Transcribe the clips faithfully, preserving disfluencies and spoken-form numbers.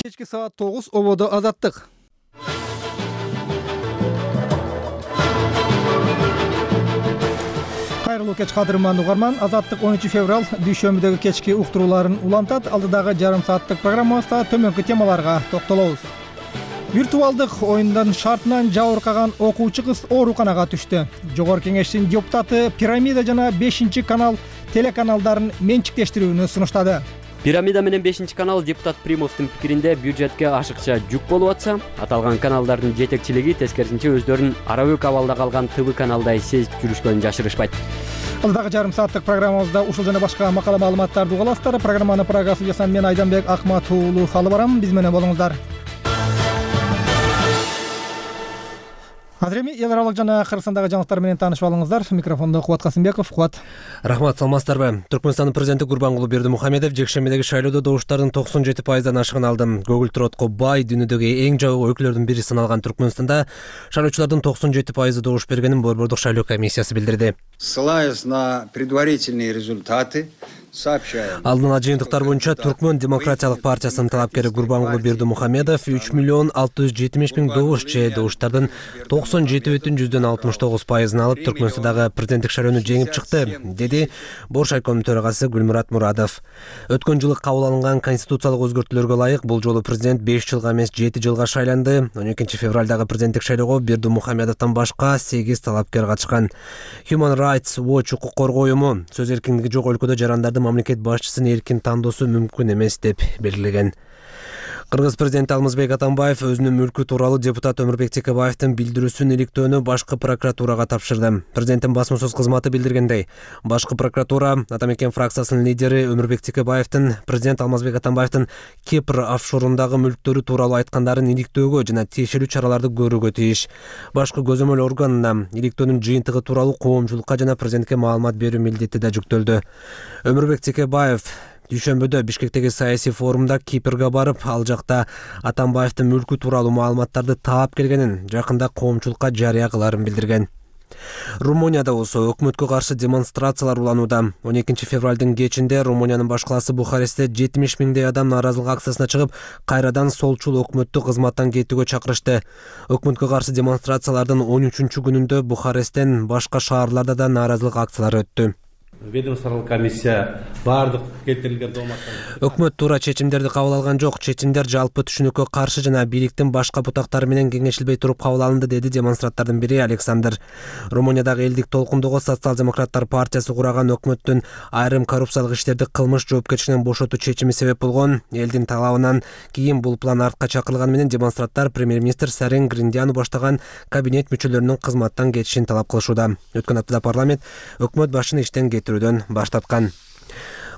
Кечки саат тогуз ободо Азаттык. Кайрылуу кеч кадырман угарман. Азаттык он үчүнчү февраль дүйшөмбүдөгү кечки уктурууларын улантат. Алдыдагы жарым сааттык программабызда төмөнкү темаларга токтолобуз. Виртуалдык оюндун шартынан жабыркаган окуучу кыз ооруканага түштү. Жогорку кеңештин депутаты Пирамида жана бешинчи канал телеканалдарын менчиктештирүүнү сунуштады. Пирамида менен бешинчи канал депутат Примовдун пикиринде бюджетке ашыкча жүк болуп атса, аталган каналдардын жетекчилиги тескерисинче өздөрүн арабөк абалда калган ТВ каналдай сезип жүрүшкөнүн жашырышпайт. Алдыдагы жарым сааттык программабызда ушул жана башка макала маалыматтарды уга аласыздар. Программаны программасы жасам мен Айданбек Акмат уулу алып барам. Биз менен болуңуздар. Азыр эми эл аралык жана Кыргызстандагы жаңылыктар менен таанышып алыңыздар. Микрофондо Кубат Касымбеков. Кубат. Рахмат, саламатсыздарбы? Түркмөнстандын президенти Гурбангулы Бердимухамедов жекшембидеги шайлоодо добуштардын токсон жети пайыздан ашыгын алды. Көгүл туротко бай дүйнөдөгү эң жабык өлкөлөрдүн бири саналган Түркмөнстанда шайлоочулардын токсон жети пайызы добуш бергенин Борбордук шайлоо комиссиясы билдирди. Ссылаясь на предварительные результаты, алдын ала жыйынтыктар боюнча Түркмөн демократиялык партиясынын талапкери Гурбангулы Бердимухамедов үч миллион алты жүз жетимиш миң добуш же добуштардын токсон жети бүтүн жүздөн алтымыш тогуз пайызын алып Түркмөнстандагы президенттик шайлоону жеңип чыкты, деди Бош айкомдун төрагасы Гүлмурат Мурадов. Өткөн жылы кабыл алынган конституциялык өзгөртүүлөргө ылайык бул жолу президент беш жылга эмес жети жылга шайланды. он экинчи февралдагы президенттик шайлоого Бердимухамедовдон башка сегиз талапкер катышкан. Human Rights Watch укук коргоо уюму сөз эркиндиги жок өлкөдө жарандарды мамлекет башчысын эркин тандоосу мүмкүн эмес деп белгилеген. Кыргыз президенти Алмазбек Атамбаев өзүнүн мүлкү тууралуу депутат Өмүрбек Текебаевдин билдирүүсүн иликтөөнү башкы прокуратурага тапшырды. Президенттин басма сөз кызматы билдиргендей, башкы прокуратура Ата Мекен фракциясынын лидери Өмүрбек Текебаевдин президент Алмазбек Атамбаевдин Кипр офшорундагы мүлктөрү тууралуу айткандарын иликтөөгө жана тиешелүү чараларды көрүүгө тийиш. Башкы көзөмөл органына иликтөөнүн жыйынтыгы тууралуу коомчулукка жана президентке маалымат берүү милдети да жүктөлдү. Өмүрбек Текебаев дүйшөмбүдө Бишкектеги саясий форумда Кипрге барып, ал жакта Атамбаевдин мүлкү тууралуу маалыматтарды таап келгенин, жакында коомчулукка жарыя кыларын билдирген. Румынияда болсо өкмөткө каршы демонстрациялар уланууда. он экинчи февралдын кечинде Румыниянын баш калаасы Бухарестте жетимиш миңдей адам нааразылык акциясына чыгып, кайрадан солчул өкмөттү кызматтан кетүүгө чакырышты. Өкмөткө каршы демонстрациялардын он үчүнчү күнүндө Бухаресттен башка шаарларда да нааразылык акциялары өттү. Ведомстволук комиссия бардык келтирилген дооматтар. Өкмөт туура чечимдерди кабыл алган жок. Чечимдер жалпы түшүнүккө каршы жана бийликтин башка бутактары менен кеңешилбей туруп кабыл алынды, деди демонстранттардын бири Александр. Румыниядагы элдик толкундогу социал-демократтар партиясы кураган өкмөттүн айрым коррупциялык иштерди кылмыш жоопкерчилигинен бошотуу чечими себеп болгон. Элдин талабынан кийин бул план артка чакырылган менен демонстранттар премьер-министр Сарин Гриндяну баштаган кабинет мүчөлөрүнүн кызматтан кетишин талап кылышууда. Өткөн аптада парламент өкмөт башчыны иштен кетирүүдөн баш тарткан.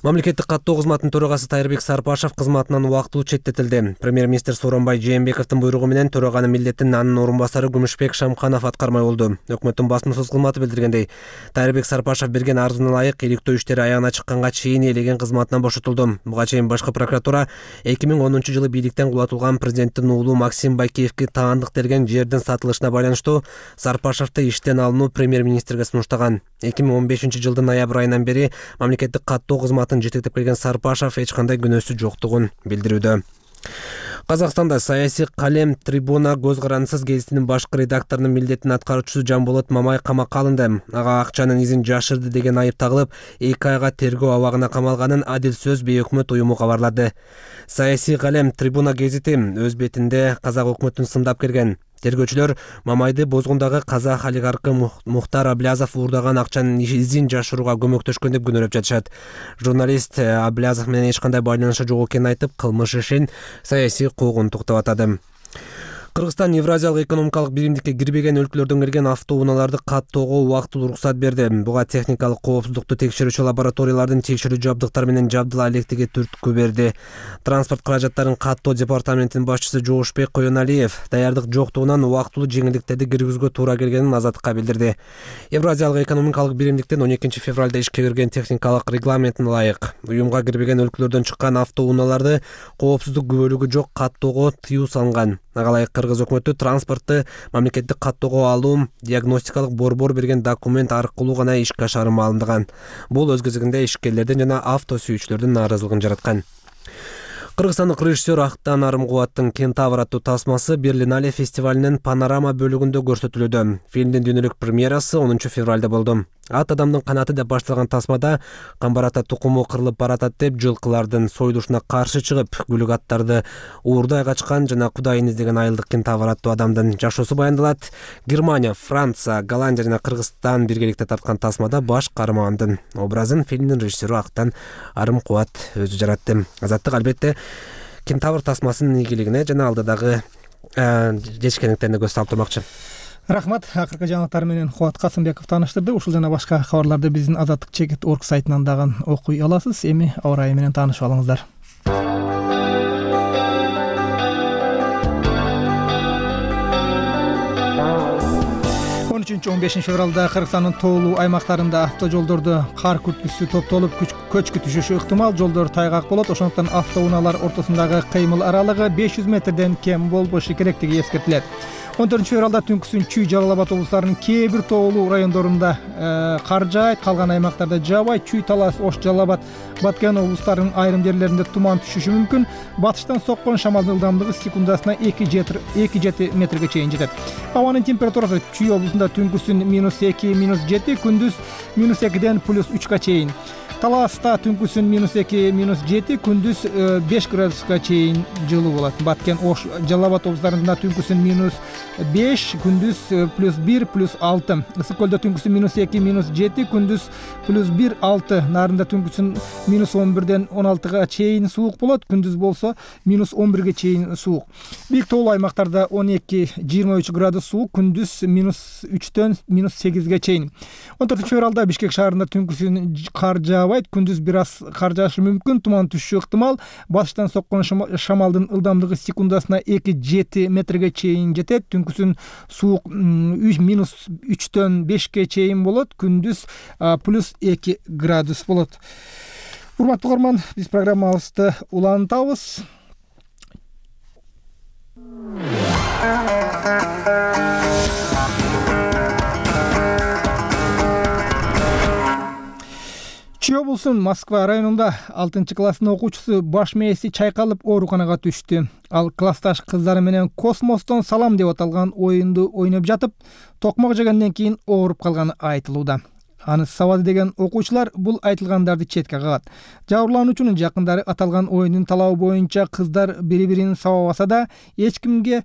Мамлекеттик каттоо кызматынын төрагасы Тайырбек Сарпашев кызматынан убактылуу четтетилди. Премьер-министр Сооронбай Жээнбековдун буйругу менен төраганын милдетин анын орун басары Күмүшбек Шамканов аткармай болду. Өкмөттүн басма сөз кызматы билдиргендей, Тайырбек Сарпашев берген арызына ылайык иликтөө иштери аягына чыкканга чейин ээлеген кызматынан бошотулду. Буга чейин башкы прокуратура эки миң онунчу жылы бийликтен кулатылган президенттин уулу Максим Байкеевге таандык берген жердин сатылышына байланыштуу Сарпашевди иштен алынуу премьер-министрге сунуштаган. эки миң он бешинчи жылдын ноябрь айынан бери мамлекеттик каттоо кызматын жетектеп келген Сарпашев эч кандай күнөөсү жоктугун билдирүүдө. Казакстанда саясий калем Трибуна көз карандысыз гезитинин башкы редакторунун милдетин аткаруучусу Жамболот Мамай камакка алынды. Ага акчанын изин жашырды деген айып тагылып, эки айга тергөө абагына камалганын Адил сөз бейөкмөт уюму кабарлады. Саясий калем Трибуна гезити өз бетинде казак өкмөтүн сындап келген. Тергөөчүлөр Мамайды бозгундагы казак олигархы Мухтар Аблязов уурдаган акчанын изин жашырууга көмөктөшкөн деп күнөөлөп жатышат. Журналист Аблязов менен эч кандай байланышы жок экенин айтып, кылмыш ишин саясий куугунтук деп атады. Кыргызстан Евразиялык экономикалык биримдикке кирбеген өлкөлөрдөн келген автоунааларды каттоого убактылуу уруксат берди. Буга техникалык коопсуздукту текшерүүчү лабораториялардын текшерүү жабдыктары менен жабдыла электиги түрткү берди. Транспорт каражаттарын каттоо департаментинин башчысы Жоошбек Коеналиев даярдык жоктугунан убактылуу жеңилдиктерди киргизүүгө туура келгенин Азаттыкка билдирди. Евразиялык экономикалык биримдиктен он экинчи февралда ишке кирген техникалык регламентине ылайык уюмга кирбеген өлкөлөрдөн чыккан автоунааларды коопсуздук күбөлүгү жок каттоого тыюу салынган. Ага Кыргыз өкмөтү транспортту мамлекеттик каттоого алуу диагностикалык борбор берген документ аркылуу гана ишке ашырымы алынган. Бул өз кезегинде ишкерлердин жана авто сүйүүчүлөрдүн нааразылыгын жараткан. Кыргызстандык режиссер Актан Арымкубаттын Кентавр аттуу тасмасы Берлинале фестивалинин панорама бөлүгүндө көрсөтүлүүдө. Фильмдин дүйнөлүк премьерасы онунчу февралда болду. Ат адамдын канаты деп башталган тасмада камбарата тукуму кырылып баратат деп жылкылардын союлушуна каршы чыгып, күлүк аттарды уурдай качкан жана кудайын издеген айылдык кентавр аттуу адамдын жашоосу баяндалат. Германия, Франция, Голландия жана Кыргызстан биргеликте тарткан тасмада баш каармандын образын фильмдин режиссеру Актан Арымкубат өзү жаратты. Азаттык албетте кентавр тасмасынын ийгилигине жана алдыдагы жетишкендиктерине көз салып турмакчы. Рахмат. Акыркы жаңылыктар менен Кубат Касымбеков тааныштырды. Ушул жана башка кабарларды биздин азаттык чекит точка орг сайтынан дагы окуй аласыз. Эми аба ырайы менен таанышып алыңыздар. он үчүнчү он бешинчи февралда Кыргызстандын тоолуу аймактарында автожолдордо кар күрткүсү топтолуп көчкү түшүшү ыктымал. Жолдор тайгак болот. Ошондуктан автоунаалар ортосундагы кыймыл аралыгы беш жүз метрден кем болбошу керектиги эскертилет. он төртүнчү февралда түнкүсүн Чүй, Жалал Абад облустарынын кээ бир тоолуу райондорунда кар жаайт, калган аймактарда жаабайт. Чүй, Талас, Ош, Жалал Абад, Баткен облустарынын айрым жерлеринде туман түшүшү мүмкүн. Батыштан соккон шамалдын ылдамдыгы секундасына эки жети метрге чейин жетет. Абанын температурасы Чүй облусунда түнкүсүн минус эки, минус жети, күндүз минус экиден плюс үчкө чейин. Таласта түнкүсүн минус эки, минус жети, күндүз беш градуска чейин жылуу болот. Баткен, Ош, Жалал Абад облустарында түнкүсүн минус беш, күндүз плюс бир, плюс алты. Ысык көлдө түнкүсүн минус эки, минус жети, күндүз плюс бир, алты. Нарында түнкүсүн минус он бирден он алтыга чейин суук болот, күндүз болсо минус он бирге чейин суук. Бийик тоолуу аймактарда он эки, жыйырма үч градус суук, күндүз минус үчтөн минус сегизге чейин. он төртүнчү февралда Бишкек шаарында түнкүсүн кар жаабайт, күндүз бир аз кар жаашы мүмкүн, туман түшүшү ыктымал. Батыштан соккон шамалдын ылдамдыгы секундасына эки жети метрге чейин жетет. Түнкүсүн суук минус үчтөн бешке чейин болот, күндүз плюс эки градус болот. Урматтуу угарман, биз программабызды улантабыз. Чүй облусунун Москва районунда алтынчы класстын окуучусу баш мээси чайкалып ооруканага түштү. Ал классташ кыздары менен космостон салам деп аталган оюнду ойноп жатып, токмок жегенден кийин ооруп калганы айтылууда. Аны сабады деген окуучулар бул айтылгандарды четке кагат. Жабырлануучунун жакындары аталган оюндун талабы боюнча кыздар бири-бирин сабабаса да, эч кимге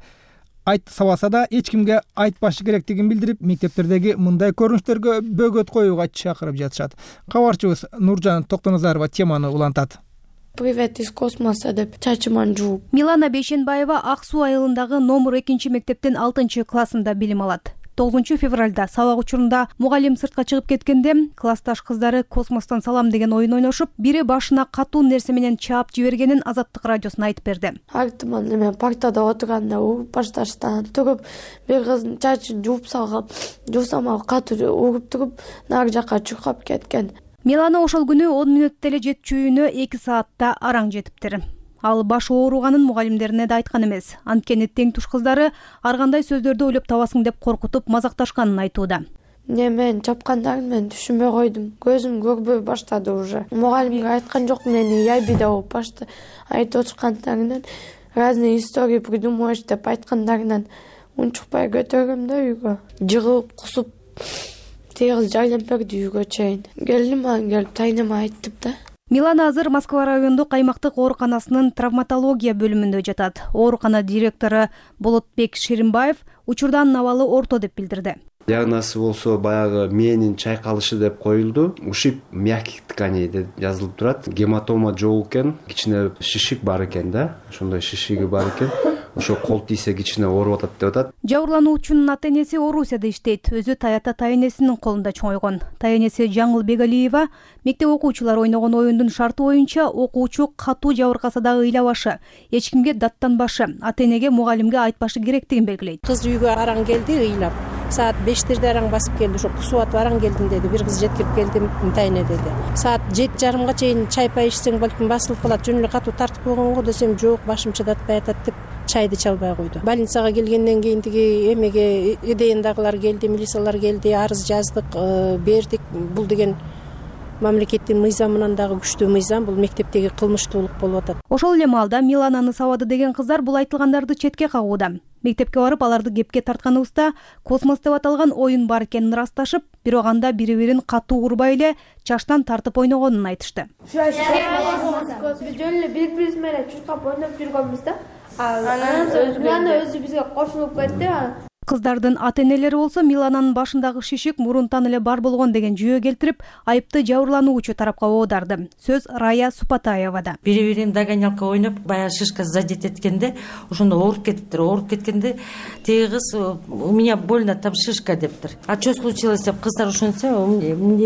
айт сабаса да эч кимге айтпашы керектигин билдирип, мектептердеги мындай көрүнүштөргө бөгөт коюуга чакырып жатышат. Кабарчыбыз Нуржан Токтоназарова теманы улантат. Привет из космоса деп чачыман жууп. Милана Бейшенбаева Ак Суу айылындагы номер экинчи мектептин алтынчы классында билим алат. тогузунчу февралда сабак учурунда мугалим сыртка чыгып кеткенде классташ кыздары космостон салам деген оюн ойношуп, бири башына катуу нерсе менен чаап жибергенин Азаттык радиосуна айтып берди. Артыман эме партада отурганда уруп башташтан туруп, бир кыздын чачын жууп салгам. Жуусам ал катуу уруп туруп, нары жакка чуркап кеткен. Милана ошол күнү он мүнөттө эле жетчү үйүнө эки саатта араң жетиптир. Ал башы ооруганын мугалимдерине да айткан эмес. Анткени тең туш кыздары ар кандай сөздөрдү ойлоп табасың деп коркутуп мазакташканын айтууда. Не мен чапкандарын мен түшүнбөй койдум. Көзүм көрбөй баштады уже. Мугалимге айткан жок, мени ябида болуп башты. Айтып отургандарынан разные истории придумываешь деп айткандарынан унчукпай көтөргөм да үйгө. Жыгылып, кусуп, тегиз жайлап берди үйгө чейин. Келдим, ан келип тайнама айтып да. Милана азыр Москва райондук аймактык ооруканасынын травматология бөлүмүндө жатат. Оорукана директору Болотбек Шеримбаев учурда анын абалы орто деп билдирди. Диагнозу болсо баягы мээнин чайкалышы деп коюлду. Ушиб мягких тканей деп жазылып турат. Гематома жок экен, кичине шишик бар экен да. Ошондой шишиги бар экен. Ошо кол тийсе кичине ооруп атат деп атат. Жабырлануучунун ата энеси Орусияда иштейт. Өзү Таята тайэнесинин колунда чоңойгон. Тайэнеси Жаңыл Бегалиева мектеп окуучулар ойногон оюндун шарты боюнча окуучу катуу жабыркаса дагы ыйлабашы, эч кимге даттанбашы, ата энеге мугалимге айтпашы керектигин белгилейт. Кыз үйгө араң келди, ыйлап. Саат бештерде араң басып келди. Ошо кусуп атып араң келдим деди. Бир кыз жеткирип келди, тайне деди. Саат жети жарымга чейин чай пай ичсең балким басылып калат. Жөн эле катуу тартып койгонго десем, жок, башым чыдатпай атат деп чайды чалбай койду. Больницага келгенден кийин тиги эмеге идеяндагылар келди, милициялар келди, арыз жаздык, бердик. Бул деген мамлекеттин мыйзамынан дагы күчтүү мыйзам бул мектептеги кылмыштуулук болуп атат. Ошол эле маалда Милананы сабады деген кыздар бул айтылгандарды четке кагууда. Мектепке барып аларды кепке тартканыбызда космос деп аталган оюн бар экенин ырасташып, бирок анда бири-бирин катуу урбай эле чачтан тартып ойногонун айтышты. Биз жөн эле бири-бирибиз менен чуркап ойноп жүргөнбүз да. Анан Милана өзү бизге кошулуп кетти. Кыздардын ата-энелери болсо Милананын башындагы шишик мурунтан эле бар болгон деген жүйө келтирип, айыпты жабырлануучу тарапка оодарды. Сөз Рая Супатаевада. Бири-бирин догонялка ойноп, баягы шишка задет эткенде, ошондо ооруп кетиптир. Ооруп кеткенде теги кыз у меня больно там шишка дептир. А что случилось деп кыздар ошентсе,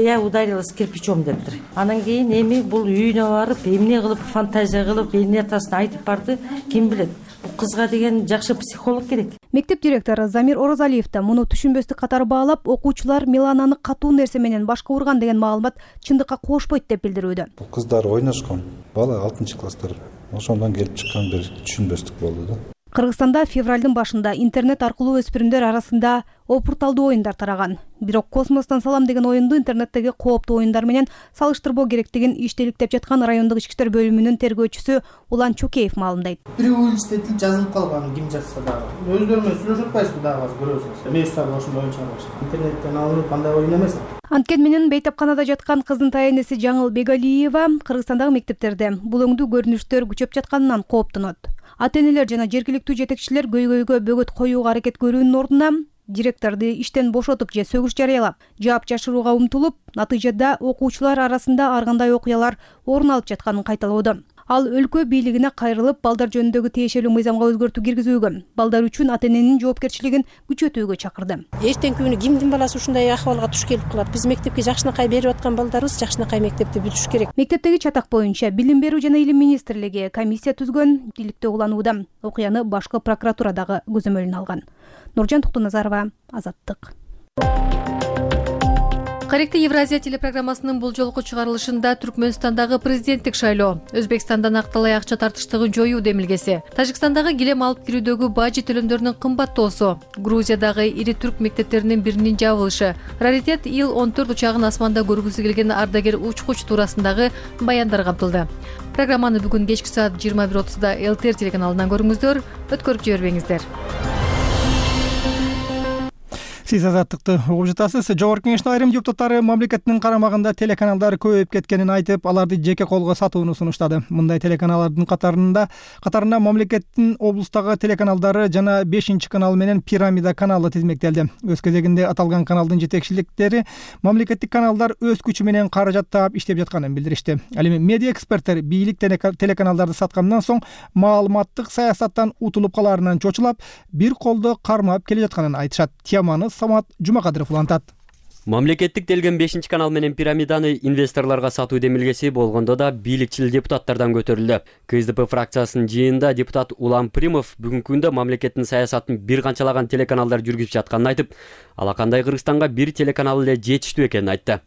я ударилась кирпичом дептир. Анан кийин эми бул үйүнө барып, эмне кылып фантазия кылып, эмне атасын айтып барды, ким билет. Бул кызга деген жакшы психолог керек. Мектеп директору Замир Орозалиев да муну түшүнбөстүк катары баалап, окуучулар Милананы катуу нерсе менен башка урган деген маалымат чындыкка кошпойт деп билдирүүдө. Бул кыздар ойношкон, бала алтынчы класстар. Ошондон келип чыккан бир түшүнбөстүк болду да. Кыргызстанда февралдын башында интернет аркылуу өспүрүмдөр арасында опурталдуу оюндар тараган. Бирок Космостон салам деген оюнду интернеттеги кооптуу оюндар менен салыштырбоо керектигин иштеликтеп жаткан райондук ички иштер бөлүмүнүн тергөөчүсү Улан Чокеев маалымдайт. Бирөө иштетип жазылып калган, ким жазса дагы. Өздөрү менен сүйлөшүп атпайсызбы дагы азыр көрөсүңүз. Мешсабы ошондой оюн чыгарып атышат. Интернеттен алынып андай оюн эмес. Анткени менен бейтапканада жаткан кызынтай энеси Жаңыл Бегалиева Кыргызстандагы мектептерде булөңдүү көрүнүштөр күчөп жатканынан кооптонот. Ата-энелер жана жергиликтүү жетекчилер көйгөйгө бөгөт коюуга аракет көрүүнүн ордуна директорду иштен бошотуп же сөгүш жарыялап, жаап жашырууга умтулуп, натыйжада окуучулар арасында ар кандай окуялар орун алып жатканын кайталоодо. Ал өлкө бийлигине кайрылып, балдар жөнүндөгү тиешелүү мыйзамга өзгөртүү киргизүүгө, балдар үчүн ата-эненин жоопкерчилигин күчөтүүгө чакырды. Эртеңки күнү кимдин баласы ушундай акыбалга туш келип калат? Биз мектепке жакшынакай берип аткан балдарыбыз жакшынакай мектепти бүтүш керек. Мектептеги чатак боюнча Билим берүү жана Илим министрлиги комиссия түзгөн, иликтөө уланууда. Окуяны башкы прокуратура дагы көзөмөлүнө алган. Нуржан Токтоназарова, Азаттык. Каректи Евразия телепрограммасынын бул жолку чыгарылышында Түркмөнстандагы президенттик шайлоо, Өзбекстандан акталай акча тартыштыгын жоюу демилгеси, Тажикстандагы килем алып кирүүдөгү бажы төлөмдөрүнүн кымбаттоосу, Грузиядагы ири түрк мектептеринин биринин жабылышы, раритет ил он төрт учагын асманда көргүсү келген ардагер учкуч туурасындагы баяндар камтылды. Программаны бүгүн кечки саат жыйырма бир отузда эл ти эр телеканалынан көрүңүздөр, өткөрүп жибербеңиздер. Сиз Азаттыкты угуп жатасыз. Жогорку Кеңештин айрым депутаттары мамлекеттин карамагында телеканалдар көбөйүп кеткенин айтып, аларды жеке колго сатууну сунуштады. Мындай телеканалдардын катарында катарына мамлекеттин облустагы телеканалдары жана бешинчи канал менен Пирамида каналы тизмектелди. Өз кезегинде аталган каналдын жетекчиликтери мамлекеттик каналдар өз күчү менен каражат таап иштеп жатканын билдиришти. Ал эми медиа эксперттер бийлик телеканалдарды саткандан соң маалыматтык саясаттан утулуп калаарынан чочулап, бир колдо кармап келе жатканын айтышат. Теманы Самат Жумакадыров улантат. Мамлекеттик делген бешинчи канал менен Пирамиданы инвесторлорго сатуу демилгеси болгондо да бийликчил депутаттардан көтөрүлдү. ка эс дэ пэ фракциясынын жыйынында депутат Улан Примов бүгүнкү күндө мамлекеттин саясатын бир канчалаган телеканалдар жүргүзүп жатканын айтып, алакандай Кыргызстанга бир телеканал эле жетиштүү экенин айтты.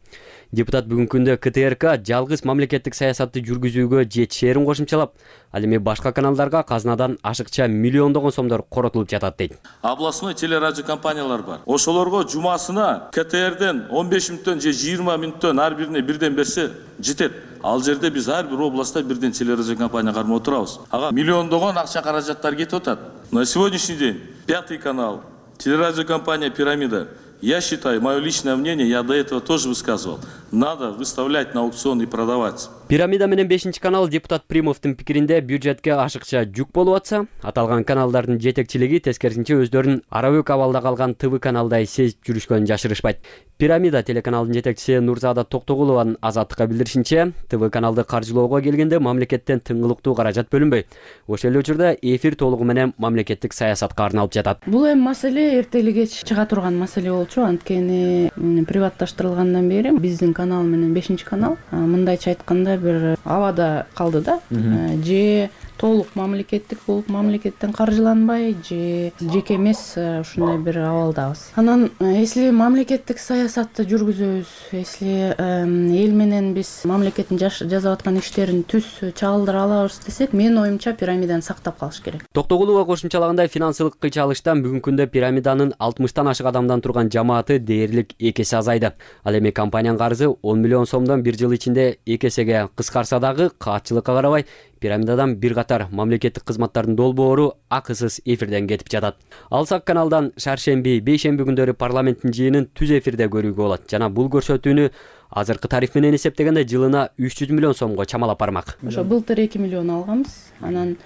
Депутат бүгүнкү күндө ка тэ эр ка жалгыз мамлекеттик саясатты жүргүзүүгө жетишээрин кошумчалап, ал эми башка каналдарга казынадан ашыкча миллиондогон сомдор коротулуп жатат дейт. Областной телерадио компаниялар бар. Ошолорго жумасына ка тэ эрден он беш мүнөттөн же жыйырма мүнөттөн ар бирине бирден берсе жетет. Ал жерде биз ар бир областта бирден телерадио компания кармап отурабыз. Ага миллиондогон акча каражаттар кетип атат. На сегодняшний день пятый канал, телерадио компания Пирамида. Я считаю, мое личное мнение, я до этого тоже высказывал, надо выставлять на аукцион и продавать. Пирамида менен бешинчи канал депутат Примовдун пикиринде бюджетке ашыкча жүк болуп атса, аталган каналдардын жетекчилиги тескерисинче өздөрүн арабөк абалда калган ТВ каналдай сезип жүрүшкөнүн жашырышпайт. Пирамида телеканалдын жетекчиси Нурзада Токтогулованын Азаттыкка билдиришинче, ТВ каналды каржылоого келгенде мамлекеттен тыңгылыктуу каражат бөлүнбөйт. Ошол эле учурда эфир толугу менен мамлекеттик саясатка арналып жатат. Бул эми маселе эртелиге чыга турган маселе болчу, анткени приватташтырылгандан бери биздин канал менен бешинчи канал мындайча айтканда бир абада калды да. Же толук мамлекеттик болуп мамлекеттен каржыланбай же жеке эмес ушундай бир абалдабыз. Анан если мамлекеттик саясатты жүргүзөбүз, если эл менен биз мамлекеттин жасап аткан иштерин түз чагылдыра алабыз десек, менин оюмча пирамиданы сактап калыш керек. Токтогулова кошумчалагандай финансылык кыйчалыштан бүгүнкү күндө пирамиданын алтымыштан ашык адамдан турган жамааты дээрлик эки эсе азайды. Ал эми компаниянын карызы он миллион сомдон бир жыл ичинде эки эсеге кыскарса дагы каатчылыкка карабай пирамидадан бир катар мамлекеттик кызматтардын долбоору акысыз эфирден кетип жатат. Алсак каналдан шаршемби, бейшемби күндөрү парламенттин жыйынын түз эфирде көрүүгө болот жана бул көрсөтүүнү азыркы тариф менен эсептегенде жылына үч жүз миллион сомго чамалап бармак. Ошо былтыр эки миллион алганбыз, анан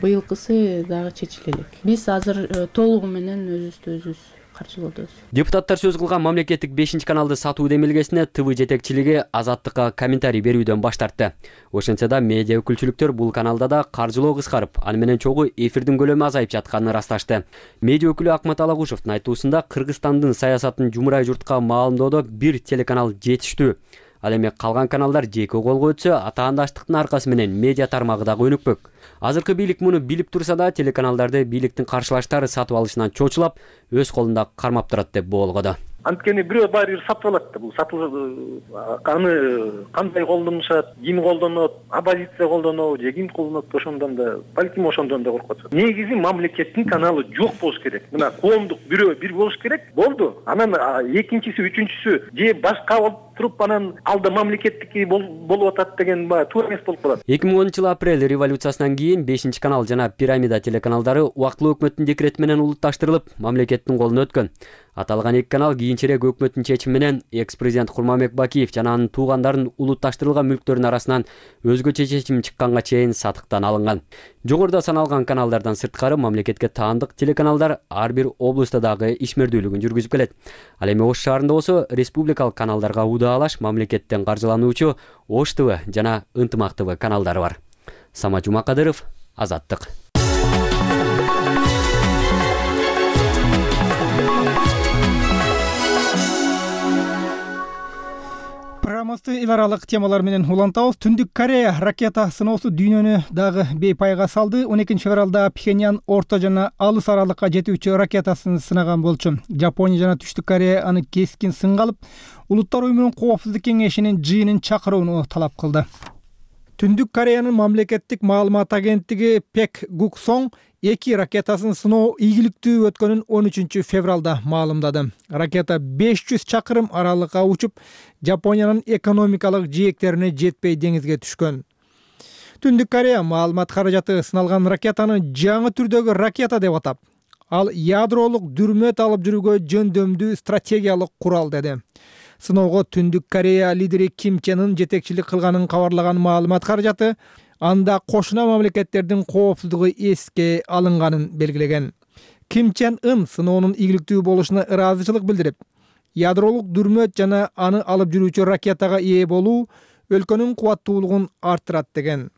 быйылкысы дагы чечиле элек. Биз азыр толугу менен өзүбүздү өзүбүз каржылоодобуз. Депутаттар сөз кылган мамлекеттик бешинчи каналды сатуу демилгесине ТВ жетекчилиги Азаттыкка комментарий берүүдөн баш тартты. Ошентсе да медиа өкүлчүлүктөр бул каналда да каржылоо кыскарып, аны менен чогуу эфирдин көлөмү азайып жатканын ырасташты. Медиа өкүлү Акмат Алагушевдун айтуусунда Кыргызстандын саясатын жумурай журтка маалымдоодо бир телеканал жетиштүү. Ал эми калган каналдар жеке колго өтсө, атаандаштыктын аркасы менен медиа тармагы дагы өнүкпөк. Азыркы бийлик муну билип турса да, телеканалдарды бийликтин каршылаштары сатып алышынан чочулап, өз колунда кармап турат деп боолгоду. Анткени бирөө баары бир сатып алат да, бул сатылып аны кандай колдонушат, ким колдонот, оппозиция колдонобу же ким колдонот, ошондон да балким ошондон да коркуп атышат. Негизи мамлекеттин каналы жок болуш керек. Мына коомдук бирөө бир болуш керек. Болду. Анан экинчиси, үчүнчүсү же башка болуп туруп анан алда мамлекеттики болуп атат деген баягы туура эмес болуп калат. эки миң онунчу жыл апрель революциясынан кийин бешинчи канал жана Пирамида телеканалдары убактылуу өкмөттүн декрети менен улутташтырылып, мамлекеттин колуна өткөн. Аталган эки канал кийинчерээк өкмөттүн чечими менен экс-президент Курманбек Бакиев жана анын туугандарын улутташтырылган мүлктөрүнүн арасынан өзгөчө чечим чыкканга чейин сатыктан алынган. Жогоруда саналган каналдардан сырткары мамлекетке таандык телеканалдар ар бир облустта дагы ишмердүүлүгүн жүргүзүп келет. Ал эми Ош шаарында болсо республикалык каналдарга удаалаш мамлекеттен каржылануучу Ош ТВ жана Ынтымак ТВ каналдары бар. Самат Жумакадыров, Азаттык. Программабызды эл аралык темалар менен улантабыз. Түндүк Корея ракета сыноосу дүйнөнү дагы бейпайга салды. он экинчи февралда Пхеньян орто жана алыс аралыкка жетүүчү ракетасын сынаган болчу. Жапония жана Түштүк Корея аны кескин сынга алып, Улуттар уюмунун коопсуздук кеңешинин жыйынын чакырууну талап кылды. Түндүк Кореянын мамлекеттик маалымат агенттиги Пек Гуксон эки ракетасын сыноо ийгиликтүү өткөнүн он үчүнчү февралда маалымдады. Ракета беш жүз чакырым аралыкка учуп, Жапониянын экономикалык жээктерине жетпей деңизге түшкөн. Түндүк Корея маалымат каражаты сыналган ракетаны жаңы түрдөгү ракета деп атап, ал ядролук дүрмөт алып жүрүүгө жөндөмдүү стратегиялык курал деди. Сыноого Түндүк Корея лидери Ким Чен Ын жетекчилик кылганын кабарлаган маалымат каражаты анда кошуна мамлекеттердин коопсуздугу эске алынганын белгилеген. Ким Чен Ын сыноонун ийгиликтүү болушуна ыраазычылык билдирип, ядролук дүрмөт жана аны алып жүрүүчү ракетага ээ болуу өлкөнүн кубаттуулугун арттырат деген.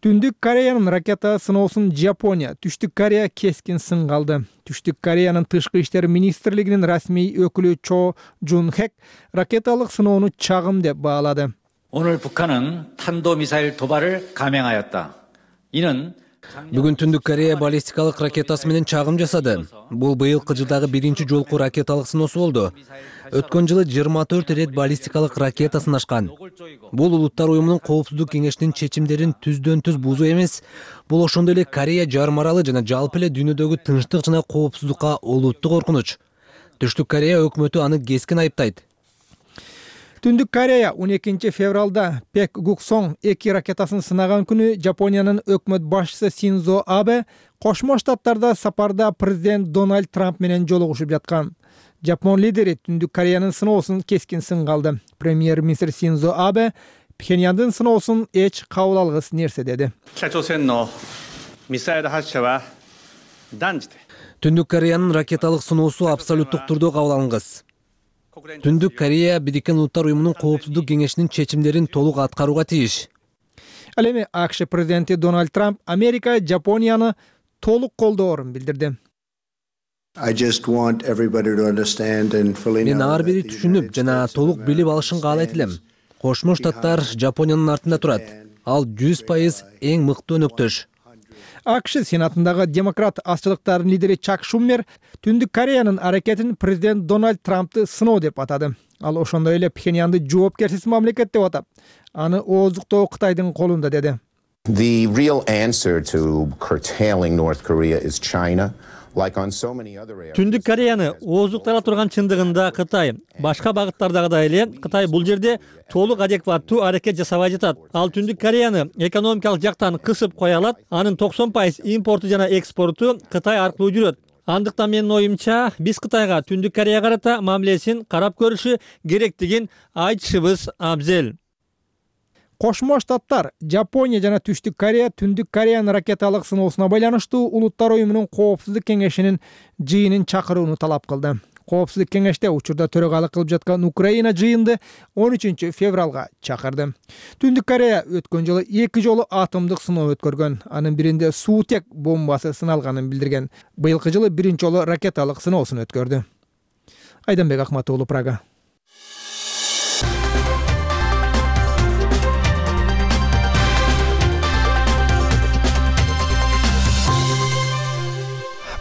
Түндүк Кореянын ракета сыноосун Жапония, Түштүк Корея кескин сынга алды. Түштүк Кореянын тышкы иштер министрлигинин расмий өкүлү Чо Жун Хек ракеталык сыноону чагым деп баалады. 오늘 북한은 탄도미사일 도발을 감행하였다. 이는 Бүгүн Түндүк Корея баллистикалык ракетасы менен чагым жасады. Бул быйылкы жылдагы биринчи жолку ракеталык сыноосу болду. Өткөн жылы жыйырма төрт ирет баллистикалык ракета сынашкан. Бул Улуттар уюмунун коопсуздук кеңешинин чечимдерин түздөн түз бузуу эмес, бул ошондой эле Корея жарым аралы жана жалпы эле дүйнөдөгү тынчтык жана коопсуздукка олуттуу коркунуч. Түштүк Корея өкмөтү аны кескин айыптайт. Түндүк Корея он экинчи февралда Пек Гуксон эки ракетасын сынаган күнү Жапониянын өкмөт башчысы Синдзо Абе Кошмо Штаттарда сапарда президент Дональд Трамп менен жолугушуп жаткан. Жапон лидери Түндүк Кореянын сыноосун кескин сынга алды. Премьер-министр Синдзо Абе Пхеньяндын сыноосун эч кабыл алгыс нерсе деди. Түндүк Кореянын ракеталык сыноосу абсолюттук түрдө кабыл алынгыс. Түндүк Корея Бириккен Улуттар уюмунун коопсуздук кеңешинин чечимдерин толук аткарууга тийиш. Ал эми АКШ президенти Дональд Трамп Америка Жапонияны толук колдоорун билдирди. Мен ар бири түшүнүп жана толук билип алышын каалайт элем. Кошмо Штаттар Жапониянын артында турат. Ал жүз пайыз эң мыкты өнөктөш. АКШ Сенатындагы демократ азчылыктардын лидери Чак Шумер Түндүк Кореянын аракетин президент Дональд Трампты сыноо деп атады. Ал ошондой эле Пхеньянды жоопкерсиз мамлекет деп атап, аны ооздуктоо Кытайдын колунда деди. The real answer to curtailing North Korea is China. Түндүк Кореяны ооздуктала турган чындыгында Кытай. Башка багыттардагыдай эле Кытай бул жерде толук адекваттуу аракет жасабай жатат. Ал Түндүк Кореяны экономикалык жактан кысып кое алат. Анын токсон пайыз импорту жана экспорту Кытай аркылуу жүрөт. Андыктан менин оюмча, биз Кытайга Түндүк Корея карата мамилесин карап көрүшү керектигин айтышыбыз абзел. Кошмо Штаттар, Жапония жана Түштүк Корея Түндүк Кореянын ракеталык сыноосуна байланыштуу Улуттар уюмунун коопсуздук кеңешинин жыйынын чакырууну талап кылды. Коопсуздук кеңеште учурда төрагалык кылып жаткан Украина жыйынды он үчүнчү февралга чакырды. Түндүк Корея өткөн жылы эки жолу атомдук сыноо өткөргөн. Анын биринде суутек бомбасы сыналганын билдирген. Быйылкы жылы биринчи жолу ракеталык сыноосун өткөрдү. Айданбек Акмат уулу, Прага.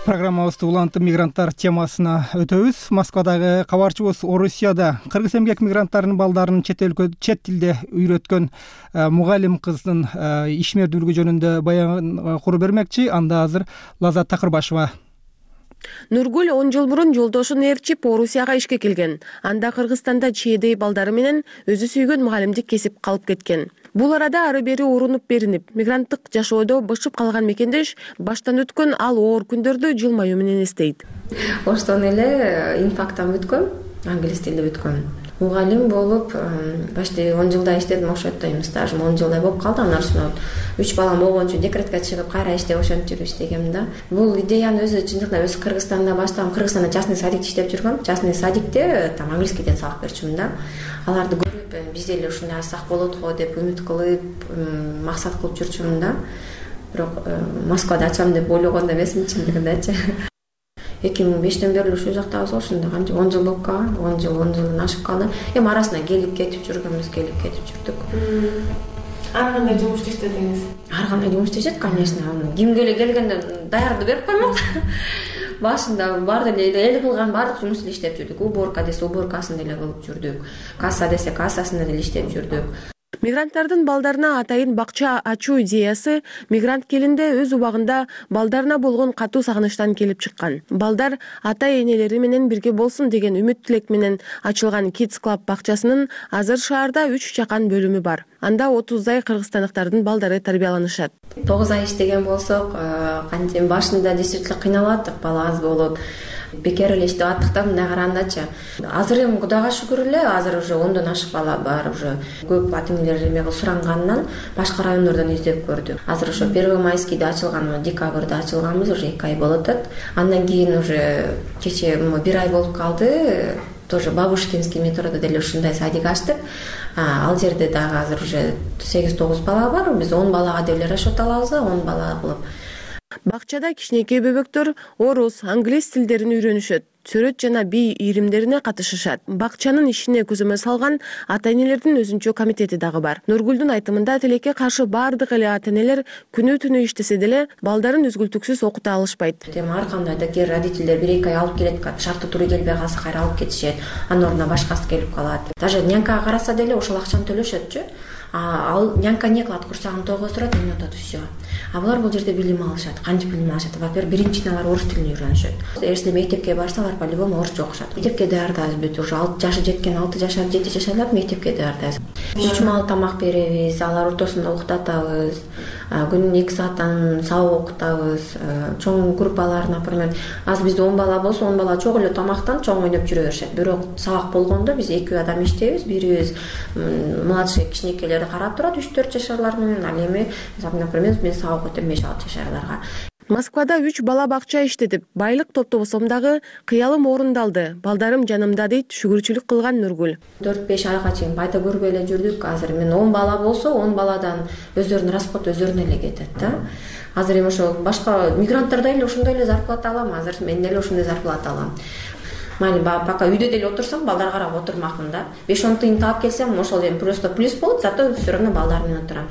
Программабызды улантып мигранттар темасына өтөбүз. Москвадагы кабарчыбыз Орусияда кыргыз эмгек мигранттарынын балдарын чет өлкө чет тилде үйрөткөн мугалим кыздын ишмердүүлүгү жөнүндө баян куруп бермекчи. Анда азыр Лазат Такырбашева. Нургул он жыл мурун жолдошун ээрчип Орусияга ишке келген. Анда Кыргызстанда чийдей балдары менен өзү сүйгөн мугалимдик кесип калып кеткен. Бул арада ары бери урунуп беринип, мигранттык жашоодо бышып калган мекендеш баштан өткөн ал оор күндөрдү жылмаюу менен эстейт. Оштон эле инфактан бүткөм, англис тилде бүткөм. Мугалим болуп, башты он жылдай иштедим, ошентип атайм, стажым он жылдай болуп калды. Анан ошондо үч балам болгон үчүн декретке чыгып, кайра иштеп ошентип жүрүп иштегем да. Бул идеяны өзү чындыгында өз Кыргызстанда баштагам. Кыргызстанда частный садикте иштеп жүргөм. Частный садикте там английскийден сабак берчүмүн да. Аларды көрүп, биз деле ушундай алсак болот го деп үмүт кылып, максат кылып жүрчүмүн да. Бирок Москвада ачам деп ойлогон да эмесмин чындыгындачы. эки миң бештен бери ушул жактабыз го, ошондо канча он жыл болуп калган, он жыл он жылдан ашып калды. Эми арасында келип кетип жүргөнбүз, келип кетип жүрдүк. Ар кандай жумуш иштедиңиз? Ар кандай жумуш иштешет, конечно. Кимге эле келгенде даярды берип коймок. Башында бар деле эл кылган баардык жумушту иштеп жүрдүк. Уборка десе уборкасын деле кылып жүрдүк. Касса десе кассасында деле иштеп жүрдүк. Мигранттардын балдарына атайын бакча ачуу идеясы мигрант келинде өз убагында балдарына болгон катуу сагынычтан келип чыккан. Балдар ата-энелери менен бирге болсун деген үмүт тилек менен ачылган Kids Club бакчасынын азыр шаарда үч жакан бөлүмү бар. Анда отуздай кыргызстандыктардын балдары тарбияланышат. тогуз ай иштеген болсок, кантип башында действительно кыйналаттык, бала аз болуп. Бекер эле иштеп аттыктан мындай карагандачы. Азыр эми Кудайга шүгүр эле, азыр уже ондон ашык бала бар уже. Көп ата-энелер эме сурангандан башка райондордон издеп көрдүк. Азыр ошо Первомайскийде ачылган, декабрда ачылганбыз, уже эки ай болуп атат. Андан кийин уже кече бир ай болуп калды. Тоже Бабушкинский метрода деле ушундай садик ачтык. Ал жерде дагы азыр уже сегиз тогуз бала бар. Биз он балага деле расчет алабыз, он бала кылып. Бакчада кичинекей бөбөктөр орус, англис тилдерин үйрөнүшөт. Сүрөт жана бий ийримдерине катышышат. Бакчанын ишине көзөмөл салган ата-энелердин өзүнчө комитети дагы бар. Нургулдун айтымында тилекке каршы бардык эле ата-энелер күнү-түнү иштесе деле балдарын үзгүлтүксүз окута алышпайт. Эми ар кандай да кээ родительдер бир эки ай алып келет, шарттуу туру келбей калса кайра алып кетишет. Анын ордуна башкасы келип калат. Даже нянкага караса деле ошол акчаны төлөшөтчү. Ал нянка не кылат, курсагын тогуздурат, эми атат все. А булар бул жерде билим алышат. Кантип билим алышат? Во-первых, биринчиден алар орус тилин үйрөнүшөт. Эгерде мектепке барсалар, по-любому орусча окушат. Мектепке даярдайбыз бүт, уже алты жашы жеткен, алты жашар, жети жашарлар мектепке даярдайбыз. Үч маал тамак беребиз, алар ортосунда уктатабыз. Күнүнө эки сааттан сабак окутабыз. Чоң группалар, например, аз бизде он бала болсо, он бала чогуу эле тамактан чоң ойноп жүрө беришет. Бирок сабак болгондо биз эки адам иштейбиз, бирибиз младший кичинекейлер карап турат, үч төрт жашарлар менен, ал эми, например, мен сабак өтөм беш алты жашарларга. Москвада үч бала бакча иштетип, байлык топтобосом дагы кыялым орундалды. Балдарым жанымда дейт шүгүрчүлүк кылган Нургул. төрт беш айга чейин пайда көрбөй эле жүрдүк. Азыр мен он бала болсо, он баладан өздөрүнүн расход өздөрүнө эле кетет да. Азыр эми ошо башка мигранттар да эле ошондой эле зарплата алам, азыр мен деле ошондой зарплата алам. майли пока үйдө деле отурсам балдарга карап отурмакмын да. беш он тыйын таап келсем ошол эми просто плюс болот, зато все равно балдар менен отурам.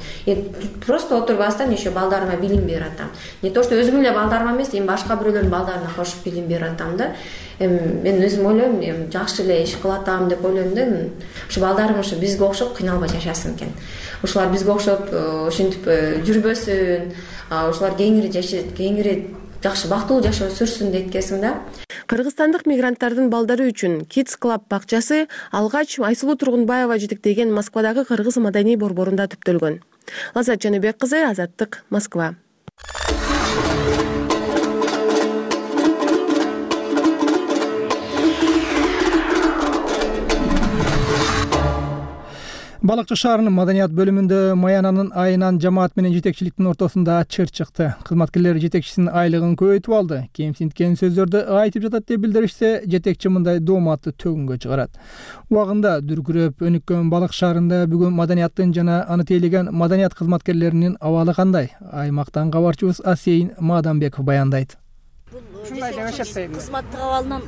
Просто отурбастан еще балдарыма билим берип атам. Не то что өзүмүн эле балдарыма эмес, эми башка бирөөлөрдүн балдарына кошуп билим берип атам да. Эми мен өзүм ойлойм, эми жакшы эле иш кылып атам деп ойлойм да. Ушу балдарым ушу бизге окшоп кыйналбай жашасын экен. Ушулар бизге окшоп ушинтип жүрбөсүн, ушулар кеңири жашайт, кеңири жакшы бактылуу жашоо сүрсүн дейткесиң да. Кыргызстандык мигранттардын балдары үчүн Kids Club бакчасы алгач Айсулуу Тургунбаева жетектеген Москвадагы кыргыз маданий борборунда түптөлгөн. Лаззат Жаныбек кызы, Азаттык, Москва. Балыкчы шаарынын маданият бөлүмүндө Маянанын айынан жамаат менен жетекчиликтин ортосунда чыр чыкты. Кызматкерлер жетекчисинин айлыгын көбөйтүп алды. Кемсинткен сөздөрдү айтып жатат деп билдиришсе, жетекчи мындай дооматты төгүнгө чыгарат. Убагында дүркүрөп өнүккөн Балык шаарында бүгүн маданияттын жана аны тейлеген маданият кызматкерлеринин абалы кандай? Аймактан кабарчыбыз Асейин Маданбеков баяндайт. Ушундай деп эсептейм. Кызматтык абалынан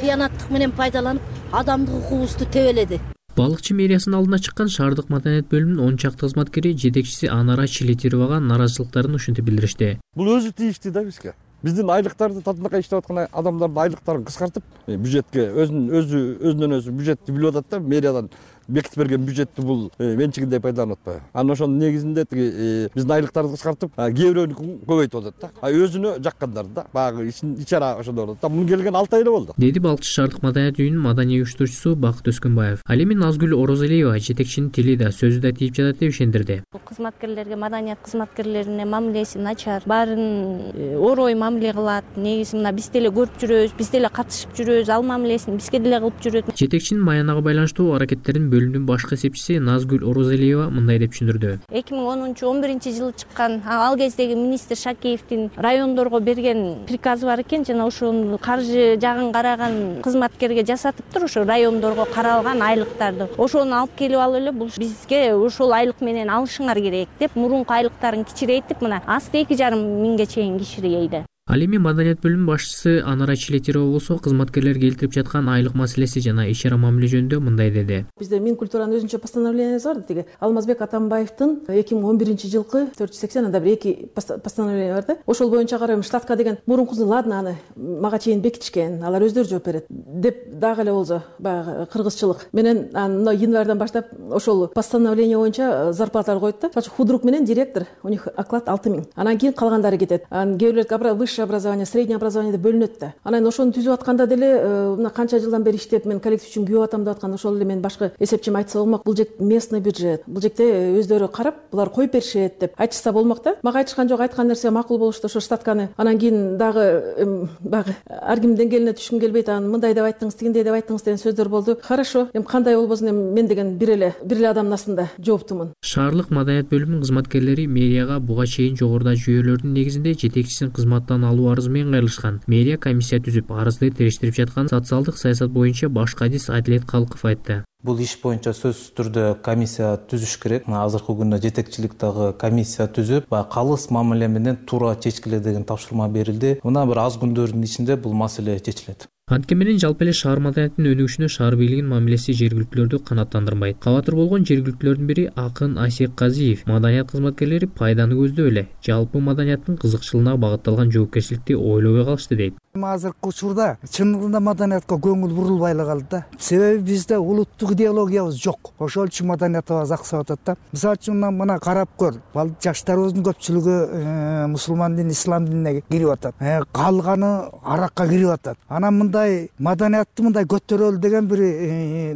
кыянаттык менен пайдаланып, адамдык укугубузду тебеледи. Балыкчы мэриясынын алдына чыккан шаардык маданият бөлүмүнүн он чакты кызматкери жетекчиси Анара Чилетировага нааразычылыктарын ушинтип билдиришти. Бул өзү тийиштүү да бизге. Биздин айлыктарды татынакай иштеп аткан адамдардын айлыктарын кыскартып, бюджетке өзүнүн өзү өзүнөн өзү бюджетти билип атат да, мэриядан бекитип берген бюджетти бул менчигиндей пайдаланып атпайбы. Анан ошонун негизинде тиги биздин айлыктарды кыскартып, кээ бирөөнүкүн көбөйтүп атат да. А өзүнө жаккандар да, баягы ичара ошондор болот да. Муну келген алты ай эле болду. Деди Балыкчы шаардык маданият үйүнүн маданий уюштуруучусу Бакыт Өскөнбаев. Ал эми Назгүл Орозалиева жетекчинин тили да сөзү да тийип жатат деп ишендирди. Кызматкерлерге, маданият кызматкерлерине мамилеси начар, баарын орой мамиле кылат. Негизи мына биз деле көрүп жүрөбүз, биз деле катышып жүрөбүз, ал мамилесин бизге деле кылып жүрөт. Жетекчинин Маянага байланыштуу аракеттерин бөлүмдүн башкы эсепчиси Назгүл Орозалиева мындай деп түшүндүрдү. эки миң онунчу он биринчи жылы чыккан ал кездеги министр Шакеевдин райондорго берген приказы бар экен, жана ошонун каржы жагын караган кызматкерге жасатыптыр, ошо райондорго каралган айлыктарды. Ошону алып келип алып эле бул бизге ошол айлык менен алышыңар керек деп, мурунку айлыктарын кичирейтип, мына асты эки жарым миңге чейин кичирейди. Ал эми маданият бөлүмүнүн башчысы Анара Чилетирова болсо кызматкерлер келтирип жаткан айлык маселеси жана иш-чара мамиле жөнүндө мындай деди. Бизде Минкультуранын өзүнчө постановлениясы бар, тиги Алмазбек Атамбаевдин эки миң он биринчи жылкы төрт жүз сексен анда бир эки постановление бар да. Ошол боюнча карайм, штатка деген мурункусун ладно аны мага чейин бекитишкен, алар өздөрү жооп берет деп дагы эле болсо баягы кыргызчылык менен мына январдан баштап ошол постановление боюнча зарплаталар коет да. Худрук менен директор, у них оклад алты миң. Анан кийин калгандары кетет. Анан кээ бирлер высшее образование, среднее образование деп бөлүнөт да. Анан ошону түзүп атканда деле мына канча жылдан бери иштеп мен коллектив үчүн күйөп атам деп аткан ошол эле мен башкы эсепчим айтса болмок. Бул жек местный бюджет. Бул жекте өздөрү карап, булар коюп беришет деп айтышса болмок да. Мага айтышкан жок, айткан нерсе макул болушту, ошо штатканы. Анан кийин дагы баягы ар кимдин деңгээлине түшкүм келбейт, анан мындай деп айттыңыз, тигиндей деп айттыңыз деген сөздөр болду. Хорошо, эми кандай болбосун, эми мен деген бир эле бир эле адамдын астында жооптумун. Шаардык маданият бөлүмүнүн кызматкерлери мэрияга буга чейин жогоруда жүйөлөрдүн негизинде жетекчисин кызматтан алуу арызы менен кайрылышкан. Мэрия комиссия түзүп, арызды териштирип жаткан социалдык саясат боюнча баш кадис Адилет Калков айтты. Бул иш боюнча сөзсүз түрдө комиссия түзүш керек. Азыркы күндө жетекчилик дагы комиссия түзүп, калыс мамиле менен туура чечкиле деген тапшырма берилди. Мына бир аз күндөрдүн ичинде бул маселе чечилет. Антке менен жалпы эле шаар маданиятынын өнүгүшүнө шаар бийлигинин мамилеси жергиликтүүлөрдү канааттандырбайт. Кабатыр болгон жергиликтүүлөрдүн бири Акын Асек Казиев. Маданият кызматкерлери пайданы көздөп эле жалпы маданияттын кызыкчылыгына багытталган жоопкерчиликти ойлобой калышты дейт. Азыркы учурда чындыгында маданиятка көңүл бурулбай эле калды да. Себеби бизде улуттук идеологиябыз жок. Ошол үчүн маданиятыбыз аксап атат да. Мисалы үчүн мына карап көр. Жаштарыбыздын көпчүлүгү мусулман дин, ислам динине кирип атат. Калганы аракка кирип атат. Анан мындай маданиятты мындай көтөрөлү деген бир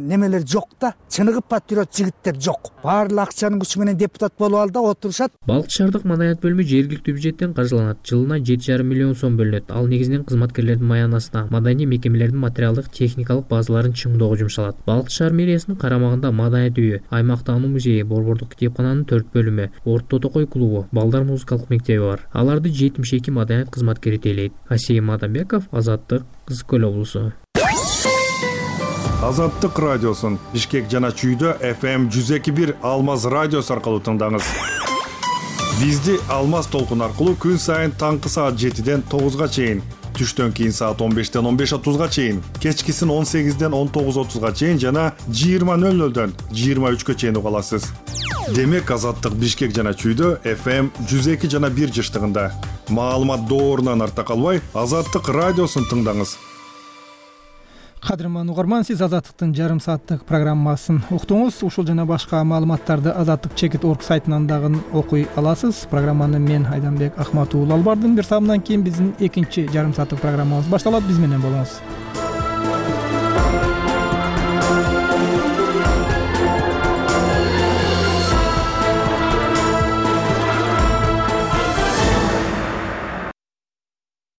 немелер жок да. Чыныгып патриот жигиттер жок. Баардык акчанын күчү менен депутат болуп алды да отурушат. Балык шаардык маданият бөлүмү жергиликтүү бюджеттен каржыланат. Жылына жети жарым миллион сом бөлүнөт. Ал негизинен кызматкерлердин маянасына, маданий мекемелердин материалдык техникалык базаларын чыңдоого жумшалат. Балык шаар мэриясынын карамагында маданият үйү, аймактануу музейи, борбордук китепкананын төрт бөлүмү, Орто Токой клубу, балдар музыкалык мектеби бар. Аларды жетимиш эки маданият кызматкери тейлейт. Асей Маданбеков, Азаттык, Кызыл Көл облусу. Азаттык радиосун Бишкек жана Чүйдө эф эм жүз эки бир Алмаз радиосу аркылуу тыңдаңыз. Бизди Алмаз толкун аркылуу күн сайын таңкы саат жетиден тогузга чейин түштөн кийин саат он бештен он беш отузга чейин, кечкисин он сегизден он тогуз отузга чейин жана жыйырма нөл нөлдөн жыйырма үчкө чейин уга аласыз. Демек Азаттык Бишкек жана Чүйдө эф эм жүз эки жана бир жыштыгында. Маалымат доорунан арта калбай, Азаттык радиосун тыңдаңыз. Кадырман угарман, сиз Азаттыктын жарым сааттык программасын уктуңуз. Ушул жана башка маалыматтарды азаттык чекит орг сайтынан дагы окуй аласыз. Программаны мен Айданбек Ахматуулу алып бардым. Бир саамдан кийин биздин экинчи жарым сааттык программабыз башталат. Биз менен болуңуз.